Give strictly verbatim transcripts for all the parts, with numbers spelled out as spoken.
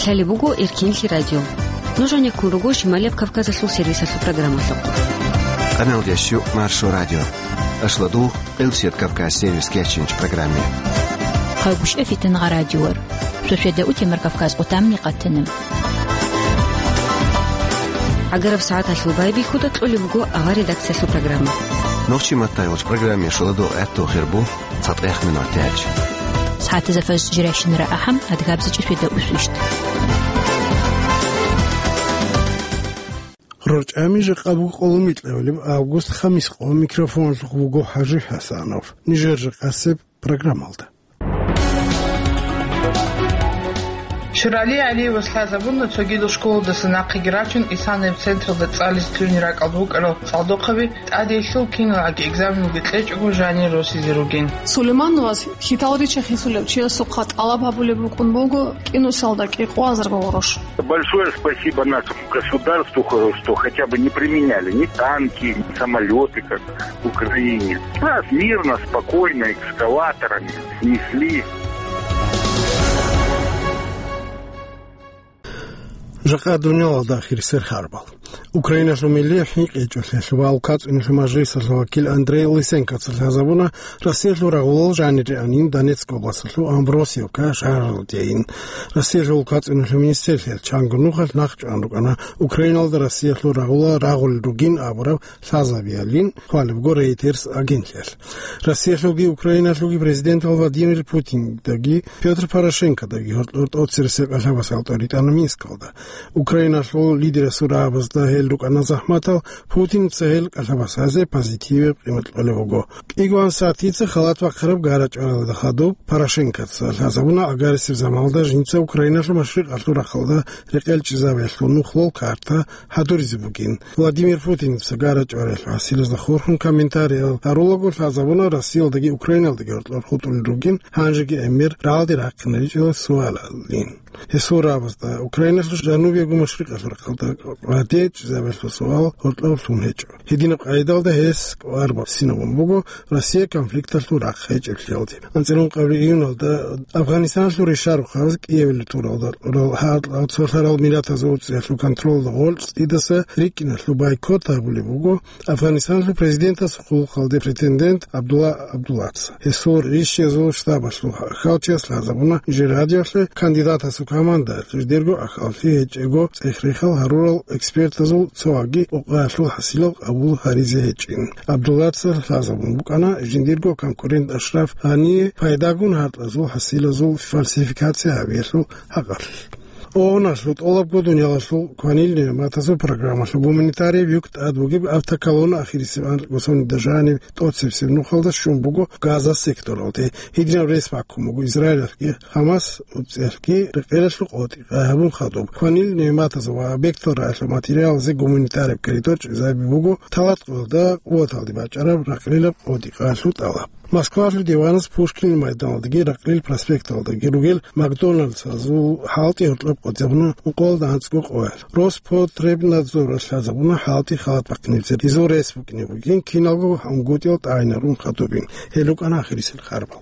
Гьале буго Эркинлъи радио. Нуж гьанеккун руго Шималияб Кавказалъул сервисалъул программалъухъ. Къаналдеш Маршо радио. Ашладу Къилсият Кавказ сервис кечинч программе. Хъагуш эфитан гъа радиор. Сосведа утемар Кавказ къутамни къатана. ГӀагараб сагӀаталъул байбихьуда кьолеб буго авар редакциялъул программа. Нохчи маттайолч программе шуладо гӀатту хирбу. ЦатӀех минут тяч. СагӀатазда фаз жирайщинара ахӀам, адгабзичӀи светда усвищт. РорчӀами жакъа буго къоло микьабилеб август, хамис къо, микрофонлъухъ вуго ХӀажи ХӀасанов. Нижер жакъасеб программалда. Ширали ГӀалиевас лъазабуна цогидал школадаса нахъеги рачун Исанаяб централда цӀализе лъугьине ракӀалда вукӀарал цӀалдохъаби, тӀадеялъул киналги экзаменалги кьечӀого жанир росизе ругин. Сулеймановас хьитал рича хисулев чиясухъа тӀалаб гьабулеб букӀун буго кӀинусалда кӀикъоязарго гъурущ. Большое спасибо нашему государству, хо-, что хотя бы не применяли ни танки, ни самолёты, как в Украине. Нас мирно, спокойно, экскаваторами снесли. Жакъа дуниялалда ахирисел харбал. Украиналъул милли хӀинкъичӀолъиялъ ва АлкацӀиналъул мажлисалъул вакил Андрей Лысенкоца лъазабуна Россиялъул рагъулал жаниреанин Донецк областалъул Амбросиевка шагьаралдейин. Россиялъул АлкацӀиналъул министрлъиялъ чанго нухалъ нахъчӀван рукӀана Украиналда Россиялъул рагъулал рагъулел ругин абураб лъазабиялин, хъвалебго Рейтерс агентлъиялъ. Россиялъулги Украиналъулги президентал Владимир Путиндаги Пётр Порошенкодаги гьоркьор тӀоцересел кӀалъабас гьалтӀой ритӀана Минскалда. Украиналъул лидерасул рагӀабазда гьел рукӀана захӀматал, Путинца гьел кӀалъабас гьазе позитиваб къимат кьолеб буго. КӀигоан сатица халат бахъараб гара-чӀваралда хадуб Порошенкоца лъазабуна агарисеб заманалда жинца Украиналъул машрикъалъул рахъалда рекъелчӀезабиялъул нухлъул карта гьадуризе бугин. Владимир Путинца гара-чӀваралъул хӀасилазда хурхун комментариял гьарулаго лъазабуна Россиялдаги Украиналдаги гьоркьор хутӀулел ругин, гьанжеги гӀемер рагӀалде рахъинаричӀила суалалин. Гьесул рагӀабазда Украиналъул жанубиябго машрикъалъул рахъалда гъаде чӀезабиялъул суал гьоркьоб лъун гьечӀо. Гьединаб къагӀидалда гьес кӀвар босинабун буго Россия конфликталъул рахъ гьечӀеблъиялде. АнцӀила ункъабилеб июналда Афгъанистаналъул решарухъ гьабизе Киевалде туралда гьал-, гьал цолъарал миллатазул цӀиялъул контролалда гъоркь цӀидаса рикӀкӀиналъул бойкот гьабулеб буго Афгъанистаналъул президентасул хъулухъалде претендент Абдулла Абдуллаца. Гьесул ришиязул штабалъул хьалчияс лъазабуна жер радиоялъе кандидатасул командаялъ жидерго ахӀаллъи гьечӀого цӀех-рехал гьарурал экспертазул цо ваги къокъаялъул хӀасилал къабул гьаризе гьечӀин. Абдуллаца лъазабун букӀана жиндирго конкурент Ашраф Гъание пайдагун гьаркьазул хӀасилазул фальсификация гьабиялъул хӀакъалъулъ. ООН-алъул тӀолабго дуниялалъул кванил нигӀматазул программалъул гуманитарияб юк тӀад бугеб автоколонна ахирисеб анкьго соналда жаниб тӀоцебесеб нухалда щун буго Газа секторалде. Гьединаб рес баккун буго Израилалъги ХӀамас цӀиялъги рекъелалъул къотӀи къагьабун хадуб. Кванил нигӀматазул ва объектал рагӀалъул материалазе гуманитарияб коридор чӀезаби буго талат къоялда къуваталде бачӀараб ракълилаб къотӀи къагьалъул тӀалаб. Москвалъул диванас Пушкин майданалдаги Ракълил проспекталдаги ругел Макдоналдсазул хӀалтӀи гьоркьоб къотӀизабуна ункъоялда анцӀго къоялъ. Роспотребнадзоралъ лъазабуна хӀалтӀи халат бахъинеб цере. Гьезул рес букӀине бугин киналго унгутӀил тӀагӀинарун хадубин. Гьел рукӀана ахирисел харбал.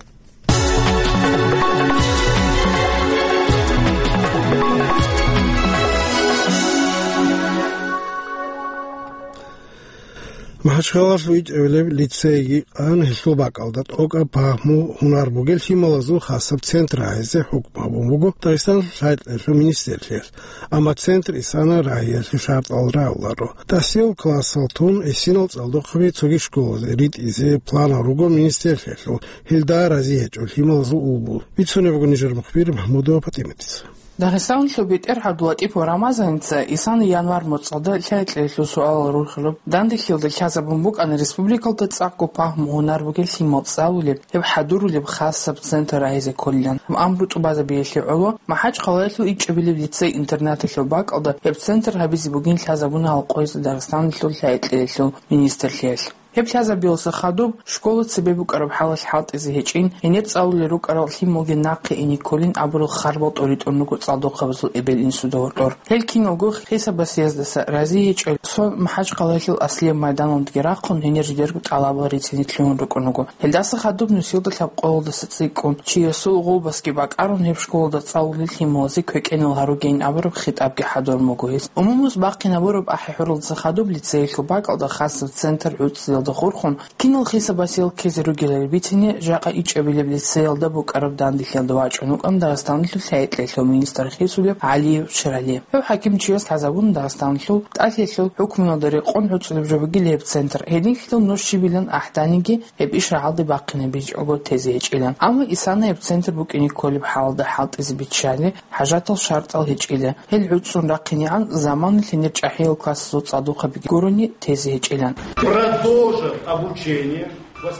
МахӀачхъалалъ вичӀабилеб лицейги къан гьелъул бакӀалда тӀокӀаб пагьму-гьунар бугел лъималазул хасаб центр гьайзе хӀукму гьабун буго Дагъистаналъул лъай-кьеялъул министрлъиялъ. Амма центр Исана рагьиялъе шартӀал рагӀуларо. Дасул классалъ тун гӀисинал цӀалдохъаби цоги школазе ритӀизе планал руго министрлъиялъул, гьелда рази гьечӀо лъималазул улбул. Бицунеб буго нижер мухбир Махмудова ПатӀиматица. Дагъистаналъул БетӀергьан ГӀабдуллатӀипов Рамазаница Исана январ моцӀалда лъай-кьеялъул суалал рурхилаб дандехьиялда лъазабун букӀана республикалда цӀакъго пагьму-гьунар бугел лъимал цӀалулеб, гьеб хӀадурулеб хасаб центр рагьизе кколилан. Амру тӀубазабиялъе гӀоло МахӀачхъалаялъул ичӀабилеб лицей-интернаталъул бакӀалда гьеб центр гьабизе бугин лъазабуна гьал къоязда Дагъистаналъул лъай-кьеялъул министрлъиялъ. Гьеб лъазабиялдаса хадуб школа цебе букӀараб хӀалалъ хӀалтӀизе гьечӀин, гьенир цӀалулел рукӀарал лъималги нахъе ине кколин абурал харбал тӀоритӀун руго цӀалдохъабазул эбел-инсуда гьоркьор. Гьел киналго хисаб-басияздаса рази гьечӀел, цо МахӀачхъалаялъул Аслияб майданалдаги рахъун гьенир жидерго тӀалабал рицине лъугьун рукӀун руго. Гьелдаса хадуб нусиялда лъабкъоялдаса цӀикӀкӀун, чиясул гъулбасги бакӀарун, гьеб школалда цӀалулел лъималазе квекӀенал гьаругейин абураб хитӀабги хӀадурун буго гьес. Умумуз бахъинабураб ахӀи-хӀуралдаса хадуб лицеялъул бакӀалда хасаб центр гӀуцӀиялда хурхун, кинал хисаб-басиял ккезе ругелали бицине, жакъа ичӀабилеб лицеялда букӀараб данделъиялда вачӀун вукӀана Дагъистаналъул лъай-кьеялъул министр хисулев ГӀалиев Ширали. Гьев хӀакимчияс лъазабуна Дагъистаналъул тӀалъиялъул хӀукмуялда рекъон гӀуцӀулеб жо бугила гьеб центр, гьединлъидал нуж щибилан ахӀданиги, гьеб иш рагӀалде бахъинабичӀого тезе гьечӀилан. Амма Исана гьеб центр букӀине кколеб хӀалалда хӀалтӀизе биччалеб хӀажатал шартӀал гьечӀила. Гьел гӀуцӀун рахъинегӀан заманалъ гьенир чӀахӀиял классазул цӀалдохъабиги гурони тезе гьечӀилан. Продолжат обучение.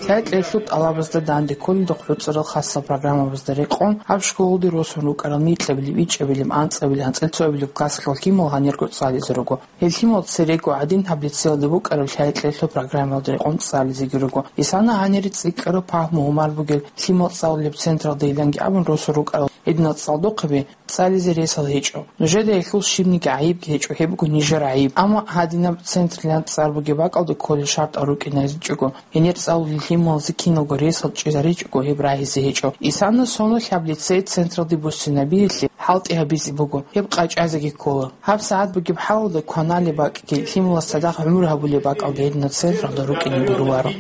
Лъай-кьеялъул тӀалабазда данде кколелда хъуцӀарал хасал программабазда рекъон, гьаб школалде росун рукӀарал микьабилеб, ичӀабилеб, анцӀабилеб, анцӀила цоабилеб классалъул лъимал гьанирго цӀализе руго. Гьел лъимал церего гӀадин гьаб лицеялда букӀараб лъай-кьеялъул программаялда рекъон цӀализеги руго. Исана гьанире цӀикӀкӀараб пагьму-гьумар бугел лъимал цӀалулеб централдайиланги абун росун рукӀарал гьединал цӀалдохъаби цӀализе ресал гьечӀо. Нужеда гьелъул щибниги гӀайибги гьечӀо, гьеб буго нижер гӀайиб. Амма гьадинаб центрилан цӀар бугеб бакӀалда кколел шартӀал рукӀинаричӀого, гьенир цӀалулел лъималазе киналго ресал чӀезаричӀого, гьеб рагьизе гьечӀо. Исана соналъ гьаб лицей централде буссинабиялъе хӀалтӀи гьабизе буго, гьеб къачӀазеги ккола. ГьабсагӀат бугеб хӀалалда кваналеб бакӀги, лъималас цадахъ гӀумру гьабулеб бакӀалги гьединал централда рукӀине гуро.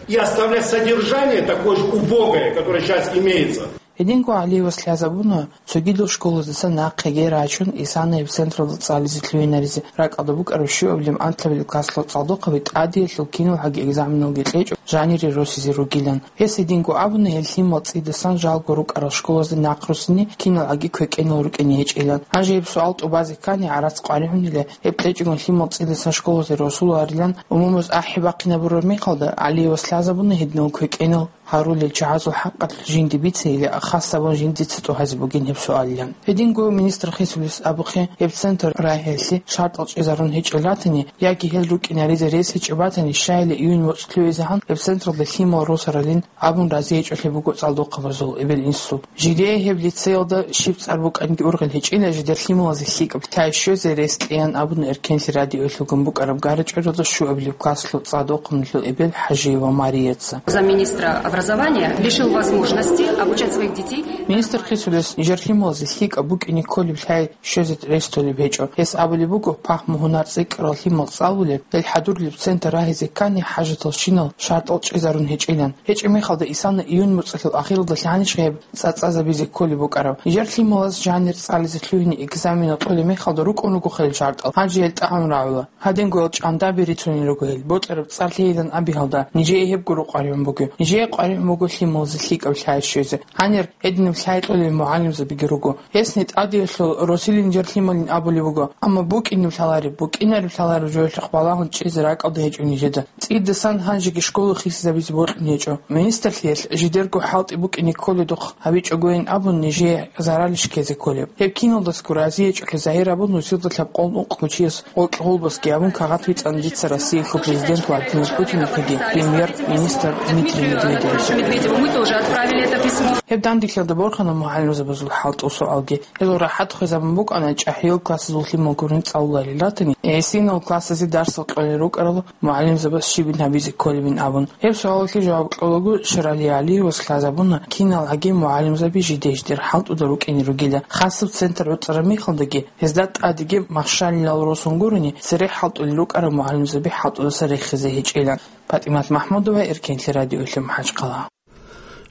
И оставлять содержание такое же убогое, которое сейчас имеется. Гьединго ГӀалиевас лъазабуна, цогидал школаздаса нахъеги рачун, Исана гьеб централда цӀализе лъугьинаризе ракӀалда букӀараб щуабилеб, анлъабилеб классалъул цӀалдохъаби тӀадиялъул киналгӀаги экзаменалги кьечӀо жанире росизе ругилан. Гьес гьединго абуна, гьел лъимал цӀидасан жалго рукӀарал школазда нахъ руссине киналгӀаги квекӀенал рукӀине гьечӀилан. Гьанже гьеб суал тӀубазе ккани гӀарац къваригӀунила, гьеб кьечӀогун лъимал цӀидасан школазе росуларилан умумуз ахӀи бахъинабураб мехалда, ГӀалиевас лъазабуна гьединал квекӀенал гьарулел чагӀазул хӀакъалъулъ жинди бицейилан, хас абун жиндица тӀугьазе бугин гьеб суалилан. Гьединго министр хисулес абухъе, гьеб центр рагьиялъе шартӀал чӀезарун гьечӀел ратани яги гьел рукӀинаризе рес гьечӀеб батани, щайила июнь моцӀ лъугӀизегӀан гьеб централда лъимал росаралин абун рази гьечӀолъи буго цӀалдохъабазул эбел-инсул. Жидее гьеб лицеялда щиб цӀар букӀанги ургъел гьечӀила, жидер лъималазе лъикӀаб лъай щвезе рес кьеян абуна Эркенлъи радиоялъулгун букӀараб ГарачӀудалда щуабилеб классалъул цӀадохъабазул эбел ХӀажиева Марияца. Замминистра образования лишил возможности обучать своих детей. Министр хисулес нижер лъималазе лъикӀаб букӀине кколеб лъай щвезе рес толеб гьечӀо. Гьес абулеб буго, пагьму-гьунар цӀикӀкӀарал лъимал цӀалулеб, гьел хӀадурлеб центр рагьизе ккани хӀажаталщинал шартӀал чӀезарун гьечӀилан. ГьечӀеб мехалда Исана июнь моцӀалъул ахиралда лъанищха гьеб цӀацӀазабизе кколеб букӀараб? Нижер лъималаз жанир цӀализе лъугьине экзаменал тӀолеб мехалда рукӀун руго хъел шартӀал, гьанже гьел тӀагӀун рагӀула. Гьадингоял чӀандаби рицунел руго гьел. Бокьараб цӀар лъейилан абиялда, нижее гьебго къваригӀун буго. Нижее къваригӀун буго лъималазе лъикӀаб лъай щвезе. Гьанир гьединаб лъай кьолел мугӀалимзабиги руго. Гьесни тӀадиялъул росилин нижер лъималин абулеб буго, амма букӀинеб лъалареб, букӀинареб лъалареб жоялъухъ балагьун чӀезе ракӀалда гьечӀо нижеда. ЦӀидасан гьанжеги школа хисизабизе бокьун гьечӀо. Министрлъиялъ жидерго хӀалтӀи букӀине кколедухъ гьабичӀогойин абун нижее заралищ ккезе кколеб? Гьеб киналдасго рази гьечӀолъи загьир абун нусилда лъабкъоялда ункъго чияс гъоркье гъулбасги гьабун кагъат бицана дица Россиялъул президент Владимир Путинихъеги премьер-министр Дмитрий Медведевича. Медведеву мы тоже отправили это письмо. Гьеб данделъиялда борхана мугӀалимзабазул хӀалтӀул суалги. Гьезул рахӀат хвезабун букӀана чӀахӀиял классазул лъимал гурин цӀалуларел ратани, гӀисинал классазе дарсал кьолел рукӀарал мугӀалимзабаз щибин гьабизе кколебин абун. Гьеб суалалъе жаваб кьолаго Ширали ГӀалиевас лъазабуна, киналгӀаги мугӀалимзаби жиде-жидер хӀалтӀуда рукӀине ругила. Хасаб центр гӀуцӀараб мехалдаги, гьезда тӀадеги махщалилал росун гурони, цере хӀалтӀулел рукӀарал мугӀалимзаби хӀалтӀудаса рехизе гьечӀила. ПатӀимат МахӀмудова, Эркенлъи радиоялъ, МахӀачхъала.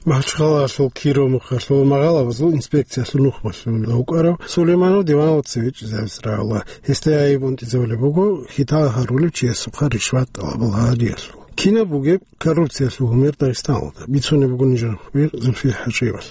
МахӀачхъалаялъул Киров мухъалъул магӀалабазул инспекциялъул нухмалъун вукӀарав Сулейманов диваналда цеве чӀезавизе рагӀула. Гьесда гӀайиб унтӀизабулеб буго хьитал гьарулев чиясухъа ришват тӀалабал гьариялъул. Кинаб бугеб коррупциялъул гьумер Дагъистаналда? Бицунеб буго нижер хабир Зульфир ХӀажиевас.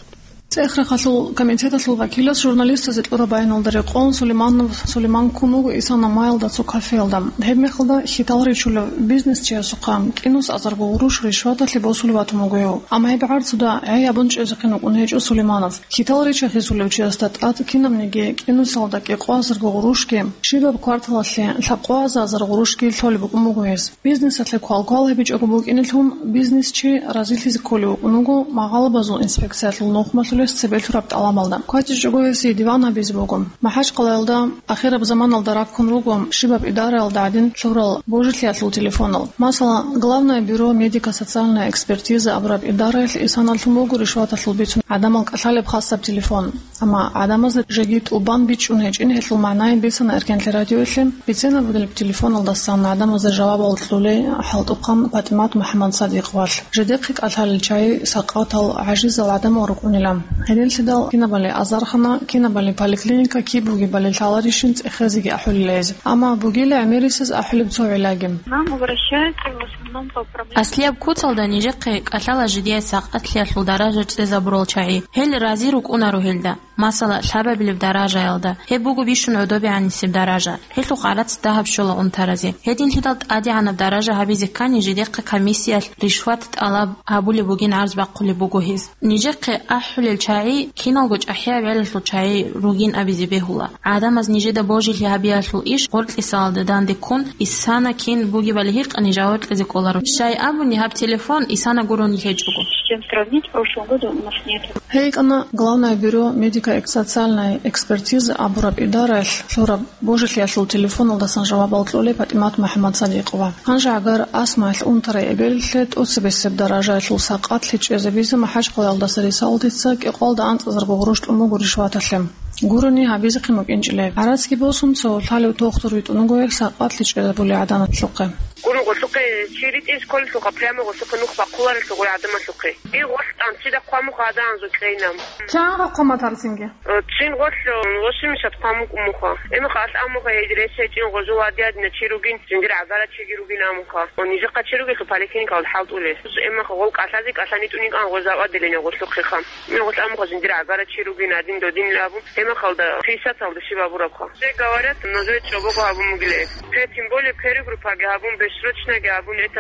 ЦӀех-рахъалъул комитеталъул вакилас журналистазе кьураб баяналда рекъон Сулейманов Сулейман ккун вуго Исана майялда цо кафеялда. Гьебмехалда хьитал ричулев бизнесчиясухъа кӀинусазарго гъурущ ришваталъе босулев ватун вуго гьев. Амма гьеб гӀарцуда гӀей абун чӀезехъин вукӀун гьечӀо Сулейманов. Хьитал рича хисулев чиясда тӀад кинабниги кӀинусалда кӀикъоязарго гъурущги, щибаб кварталалъе лъабкъоязазар гъурущги лъолеб букӀун буго гьес. Бизнесалъе квалквал гьабичӀого букӀинелъун, бизнесчи разилъизе кколев вукӀун вуго магъалабазул инспекциялъул нухмалъулес цебе лъураб тӀалабалда. КватӀичӀого гьесие диван гьабизе буго. МахӀачкъалаялда ахираб заманалда раккун руго щибаб идараялда гӀадин лъурал божилъиялъул телефонал. Масала, Главное бюро медико-социальная экспертиза абураб идараялъ Исаналъун буго ришваталъул бицун гӀадамал кӀалъалеб хасаб телефон. Амма гӀадамазда жеги тӀубан бичӀчӀун гьечӀин гьелъул магӀнаян бицана Эркенлъи радиоялъе. Бицен абулеб телефоналдасан гӀадамазда жавабал кьолей хӀалтӀухъан ПатӀимат МухӀаммад Садикъовалъ. Жидехъе кӀалъалел чагӀи, сакъатал, гӀажизал гӀадамал рукӀунила. Гьединлъидал кинабали азархана, кинабали поликлиника, киб бугебали лъаларищин цӀехезеги ахӀулила гьез. Амма бугила гӀемерисез ахӀулеб цо гӀиллаги. Нам обращаются в основном по проблеме. Аслияб куцалда нижехъе кӀалъала жидее сакъатлъиялъул даража чӀезабурал чагӀи. Гьел рази рукӀунаро гьелда. Масала, лъабабилеб даражаялда, гьеб буго бищун гӀодобегӀанисеб даража. Гьелъухъ гӀарац дагьаб щола унтаразе. Гьединлъидал тӀадегӀанаб даража гьабизе ккани, жидехъе комиссиялъ ришват тӀалаб гьабулеб бугин гӀарз бахъулеб буго гьез. Нижехъе ахӀулел чагӀи киналго чӀахӀияб гӀелалъул чагӀи ругин абизе бегьула. ГӀадамаз нижеда божилъи гьабиялъул иш гъоркьисалда данде ккун, Исана кин бугебали гьикъани жаваб кьезе кӀоларо. Щай абуни, гьаб телефон Исана гурони гьечӀого. С чем сравнить, в прошлом году у нас нет. Гьей кӀана Главное бюро медико-социальной экспертизы абураб идараялъ лъураб божилъиялъул телефоналдасан жавабал кьолей ПатӀимат МухӀаммад Садикъова. Гьанже гӀагар Асмаялъ унтарай эбеллъи тӀоцебесеб даражаялъул сакъатлъи чӀезабизе МахӀачкъалаялдаса Рисалдица кӀикъоялда анцӀазарго гъурущ тӀун буго ришваталъе. Гурони гьабизехъин букӀинчӀила гьеб. ГӀарацги босун, цо лъалев тухтур витӀун вуго гьеб сакъатлъи чӀезабулей гӀадамазухъе. Гурого лъухъе чи ритӀизе кколелъулха, прямо гъолъухъе нух бахъуларелъул гъой гӀадамалъухъе. И гъолъ тӀамцӀида хъвамухъ гӀадан анзу кьейнам. Чан хъваматарцинги? Цин гъолъ восемьдесят хъвамукӀ муха. Эмаха алъ амуха гьедир гьечӀин гъожул гьадиадина чи ругин, жиндир гӀагара чиги ругин амуха. Нижехъа чи ругелъул поликлиникалда хӀалтӀулел. Эмаха гъол кӀалъазе кӀалъани тӀуникӀан гъожа аваделине гъолъухъеха. Мин гъолъ амуха жиндир гӀагара чи ругин гьадин додинил абун, эмахалда пятьдесяталда щиб абурабха. Все говорят, но жой чӀобого гьабун бугиле. Пе, тем более, первый группаги гьабун, бессрочноги гьабун, это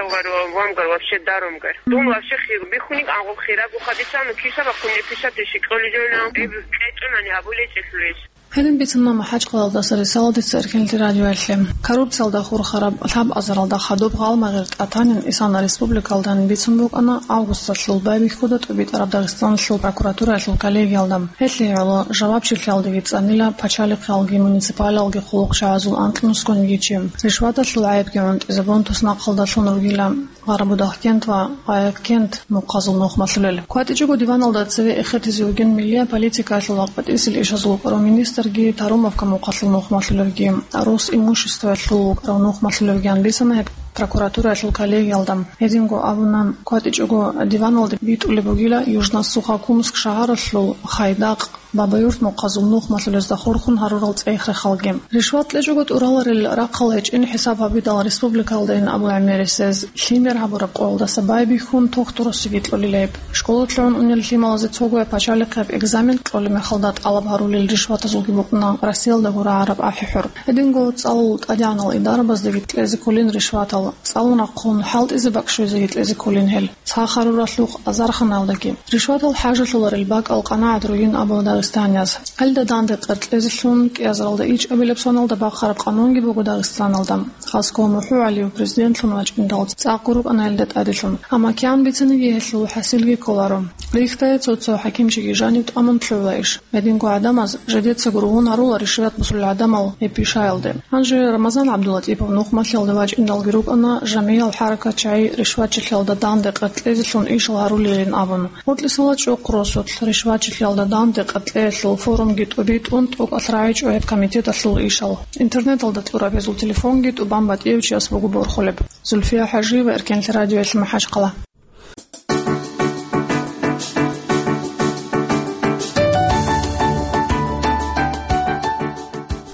вам гар вообще даром гар. Дун вообще хир бихуник, агъоб хираб ухадица, ну, киса бахуни пятьдесят тысяч кьолижойна, эб кьечӀунани гьабулечӀелъулес. Гьедин бицана МахӀачкъалаялдаса Рисалдица Эркенлъи радиоялъе. Коррупциялда хурхараб лъабазаралда хадуб гъалмагъир тӀатанин Исана республикалдани бицун букӀана августалъул байбихьуда тӀубитӀараб Дагъистаналъул прокуратураялъул коллегиялда. Гьелъие гӀоло жавабчилъиялдаги цӀанила пачалихъалги муниципалалги хъулухъчагӀазул анкьнусгониги чи. Ришваталъул гӀайибги гӀунтӀизабун туснахъалдалъун ругила Гъарабудагъкент ва Гъаяккент мухъазул нухмалъулел. КватӀичӀого диваналда цеве эхетизе вугин миллия политикаялъул ва къватӀисел ишазул вукӀарав министрги, Тарумовка мухъалъул нухмалъулевги, Росимуществоялъул вукӀарав нухмалъулевги, гьанбисана гьеб прокуратураялъул коллегиялда. Гьединго абуна, кватӀичӀого диваналде битӀулеб бугила Южно-Сухокумск шагьаралъул Хайдакъ, Бабаюрт мухъазул нухмалъулезда хурхун гьарурал цӀех-рахъалги. Ришват кьечӀого тӀураларел рахъал гьечӀин хӀисаб гьабидал республикалдайин абу гӀемерисез лъимер гьабураб къоялдаса байбихьун тухтурусиги кьолилеб. Школалъун унел лъималазе цогояб пачалихъияб экзамен кьолеб мехалда тӀалаб гьарулел ришватазулги букӀуна Россиялда гурагӀараб ахӀи-хӀур. Гьединго цӀалул тӀадегӀанал идарабаздаги кьезе кколин ришватал, цӀалун рахъун хӀалтӀизе бакӀ щвезеги кьезе кколин гьел. Цо гьаруралъухъ азарханалдаги. Ришватал хӀажалъуларел бакӀал къанагӀат ругин абула дагъистанияз. Гьелда данде къеркьезелъун кӀиазаралда ичӀабилеб соналда бахъараб къанунги буго Дагъистаналда. Хасго МухӀу ГӀалиев президентлъун вачӀиндал цӀакъ гурукӀана гьелда тӀаделъун. Амма кигӀан бициниги гьелъул хӀасилги кколаро. Рихьдае цо-цо хӀакимчиги жанив тӀамун лъугӀула иш. Гьединго гӀадамаз жидеца гургьун гьарула ришват босулел гӀадамал гьеб пишаялде. Гьанже Рамазан ГӀабдулатӀипов нухмалъиялда вачӀиндалги рукӀана жамигӀал хӀаракатчагӀи ришватчилъиялда данде къеркьезелъун ишал гьарулелин абун. Гъоркьисала чӀухъ росулъ ришватчилъиялда данде къеркьеялъул форумги тӀубитӀун тӀокӀалъ рагӀичӀо гьеб комитеталъул ишал. Интернеталда кьураб гьезул телефонги тӀубан батӀияб чияс буго борхулеб. Зульфия ХӀажиева, Эркенлъи радиоялъ, МахӀачкъала.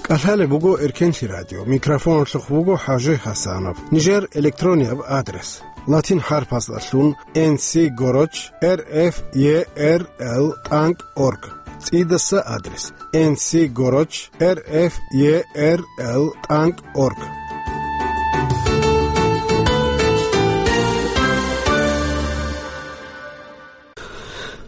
КӀалъалеб буго Эркенлъи радио. Микрофоналъухъ вуго ХӀажи Гьасанов. Нижер электронияб адрес: латин хӀарпаздалъун, N C горочь R F E R L тӀанкӀ орг. ЦӀидаса адрес: N C горочь R F E R L тӀанкӀ орг.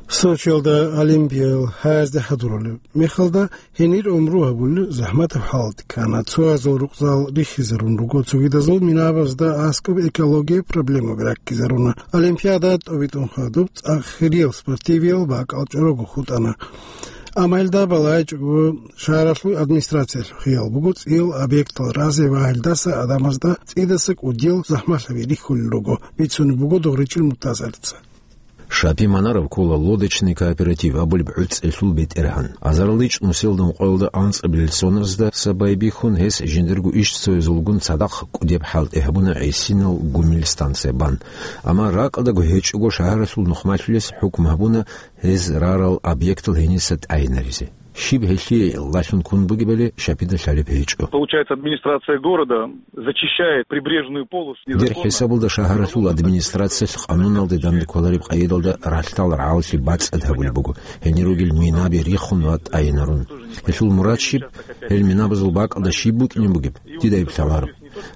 Сочиялда Олимпиял гьаязде хӀадурулеб мехалда, гьенир гӀумру гьабулел захӀматаб хӀалалде ккана. Цоязул рукъзал рихизарун руго, цогидазул минабазда аскӀоб экология проблемаби раккизаруна. Олимпиада тӀобитӀун хадуб цӀакъ хириял спортивиял бакӀал чӀорого хутӀана. Амма гьелда балагьичӀого шагьаралъул администрациялъухъ хиял буго цӀиял объектал разе ва гьелдаса гӀадамазда цӀидаса кӀудиял захӀмалъаби рихьулел руго, бицунеб буго Догъричил Муртазаца. Шапи Манаров ккола «Лодочный кооператив» абулеб гӀуцӀелъул бетӀергьан. Азарилан чӀун нилъеда ункъоялда анцӀабилел соназдаса байбихьун, гьес жиндирго ишцоязулгун цадахъ кӀудияб хӀалтӀи гьабуна гӀисинал гумил станция бан. Амма ракӀалдаго гьечӀого шагьаралъул нухмалъулес хӀукму гьабуна гьез рарал объектал гьениса тӀайинаризе. Щиб гьелъие лъалъун ккун бугебали Шапида лъалеб гьечӀо. Получается, администрация города зачищает прибрежную полосу. Дир хӀисабалда шагьаралъул администрациялъ къануналде данде кколареб къайдалда ралъдал рагӀаллъи бацӀцӀад гьабулеб буго, гьенир ругел минаби рихун ва тӀайинарун. Гьелъул мурад щиб? Гьел минабазул бакӀалда щиб букӀине бугеб? Дида гьеб лъаларо.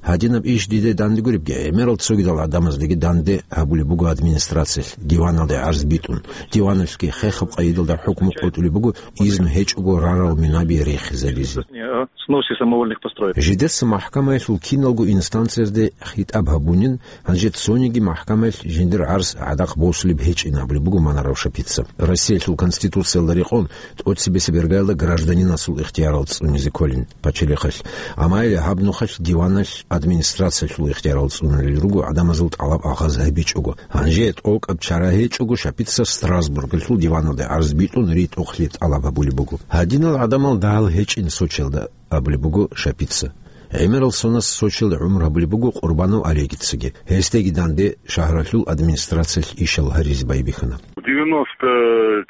Гьадинаб иш дида данде гуребги, гӀемерал цогидал гӀадамаздаги данде гьабулеб буго администрациялъ, диваналде гӀарз битӀун. Диваналъги хехаб къайдалда хӀукму къотӀулеб буго, изну гьечӀого рарал минаби рихизабизе. О сносе самовольных построек. Жидеца махкамаялъул киналго инстанциязде хитӀаб гьабунин, гьанже цониги махкамаялъ жиндир гӀарз гӀадахъ босулеб гьечӀин абулеб буго Манаров Шапица. Россиялъул Конституциялда рекъон, тӀоцебесеб иргаялда гражданинасул ихтиярал цӀунизе кколин пачалихъалъ. Амма гьаб нухалъ диваналъ администрациялъул ихтиярал цӀунулел руго гӀадамазул тӀалаб агъаз гьабичӀого. Гьанже тӀокӀаб чара гьечӀого, Шапица Страсбургалъул диваналде гӀарз битӀун ритӀухълъи тӀалаб гьабулеб буго. Гьадинал гӀадамал дагьал гьечӀин Сочиялда, абулеб буго Шапица. ГӀемерал сонас Сочиялда гӀумру гьабулеб буго Къурбанов Олегицаги. Гьесдаги данде шагьаралъул администрациялъ ишал гьаризе байбихьана. В девяносто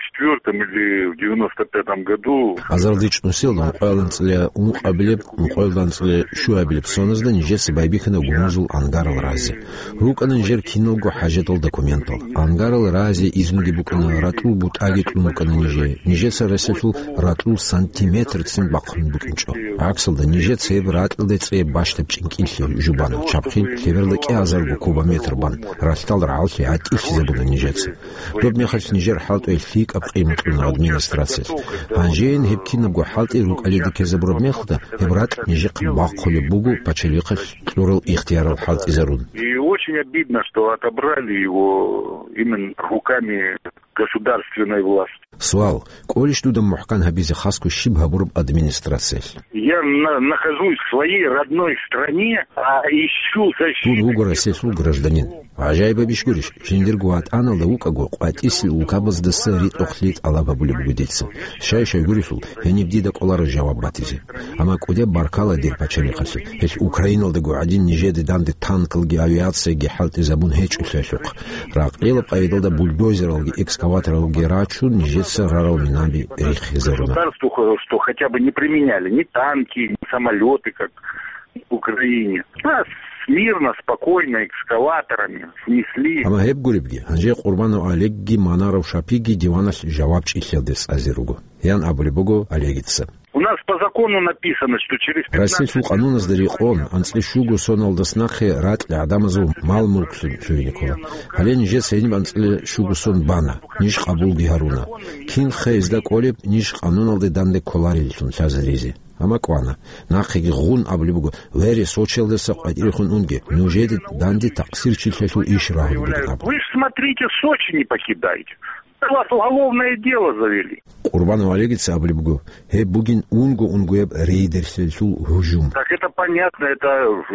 четвёртом или в девяносто пятом году. Азарилан чӀун нилъеда ункъоялда анцӀила ункъабилеб, ункъоялда анцӀила щуабилеб соназда нижеца байбихьана гумузул ангарал разе. РукӀана нижер киналго хӀажатал документал. Ангарал разе изнуги букӀана, ратӀул бутӀаги кьун букӀана нижее. Нижеца ресалъул ратӀул сантиметрцин бахъун букӀинчӀо. ГӀаксалда, нижеца гьеб ратӀалде цӀе бащдаб чӀинкӀиллъи жубана, чабхъин лъеберда кӀиазарго кубометр бан, ралъдал рагӀаллъи гӀатӀилъизабуна нижеца. Доб мехалъ нижер хӀалтӀуе лъикӀаб къимат кьуна администрациялъ. Гьанжейин гьеб кинабго хӀалтӀи рукӀалида ккезабураб мехалда, гьеб ратӀ нижехъе бахъулеб буго пачалихъалъ кьурал ихтиярал хӀалтӀизарун. И очень обидно, что отобрали его именно руками государственной власти. Суал: кӀолищ дуда мухӀкан гьабизе хасго щиб гьабураб администрациялъ? Я на-, нахожусь в своей родной стране, а ищу защиты. Дун вуго Россиялъул гражданин. ГӀажаибаб иш гурищ, жиндирго ватӀаналда вукӀаго, къватӀисел улкабаздаса ритӀухълъи тӀалаб гьабулеб буго дица. Щай-щай гурелъул, гьениб дида кӀоларо жаваб батизе. Амма кӀудеб баркала дир пачалихъалъе, гьелъ Украиналдаго гӀадин нижеде данде танкалги авиацияги хӀалтӀизабун гьечӀолъиялъухъ. Ракъилаб къайдалда бульдозералги экскаваторалги рачун, нижеца рарал минаби рихизаруна. Государству, что хотя бы не применяли ни танки, ни самолёты, как в Украине. Нас мирно, спокойно экскаваторами снесли. Амма гьеб гуребги, гьанже Къурбанов Олегги Манаров Шапиги диваналъ жаваб чӀиллъиялде цӀазе руго, ян абулеб буго Олегица. У нас по закону написано, что через пятнадцать... Россиялъул къануназда рекъон, анцӀила щуго соналдаса нахъе ракьги гӀадамазул мал-мулклъун лъугьине ккола. Гьале нижеца гьениб анцӀила щуго сон бана, ниж къабулги гьаруна. Кинха гьезда кӀолеб, ниж къануналде данде кколареллъун лъазаризе. Амма кӀвана. Нахъеги гъун абулеб буго: «Вере, Сочиялдаса къватӀирехун унге, нужеде данде такъсирчилъиялъул иш рагьун бугин», — абун. Вы ж смотрите, Сочи не покидайте. На вас уголовное дело завели. Къурбанов Олегица абулеб буго: «Гьеб бугин унго-унгояб рейдерлъиялъул гьужум». Так это понятно, это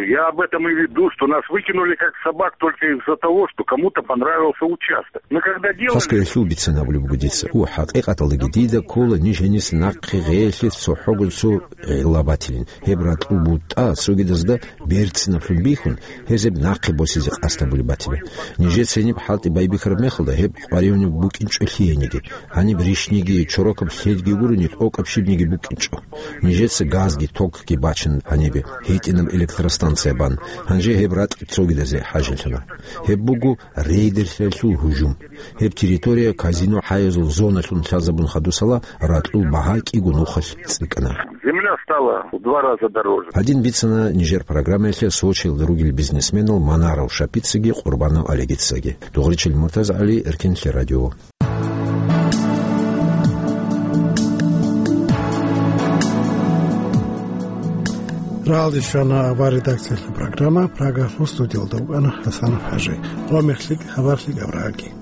я об этом и веду, что нас выкинули как собак только из-за того, что кому-то понравился участок. Мы когда делали... Хасго гьелъул бицан абулеб буго дица. У, хӀакъикъаталдаги дида ккола ниж гьениса нахъе гъеялъе цохӀого цо гӀилла батилин. Гьеб ратӀул бутӀа цогидазда берцинаблъун бихьун, гьез гьеб нахъе босизе къасд гьабулеб батила. Нижеца гьениб хӀалтӀи байбихьараб мехалда, гьеб къваригӀунеб букӀин чӀулъи гьениги. Гьаниб рищниги, чорокаб лъедги гурони, тӀокӀаб щибниги букӀинчӀо. Нижеца газги токги бачана гьанибе, гьитӀинаб электростанция бан. Гьанже гьеб ратӀ цогидазе хӀажалъана. Гьеб буго рейдерлъиялъул гьужум. Гьеб территория казино хӀаязул зоналъун лъазабун хадусала, ракьул багьа кӀиго нухалъ цӀикӀкӀана. Земля стала в два раза дороже. Гьадин бицана нижер программаялъе Сочиялда ругел бизнесменал Манаров Шапицаги Къурбанов Олегицаги. Дугъричил МуртазагӀали, Эркенлъи радио. Рагьалде щвана авар редакциялъул программа, Прагалъул студиялда вукӀана ХӀасанов ХӀажи. Къо мехлъи, хабарлъи гавраги.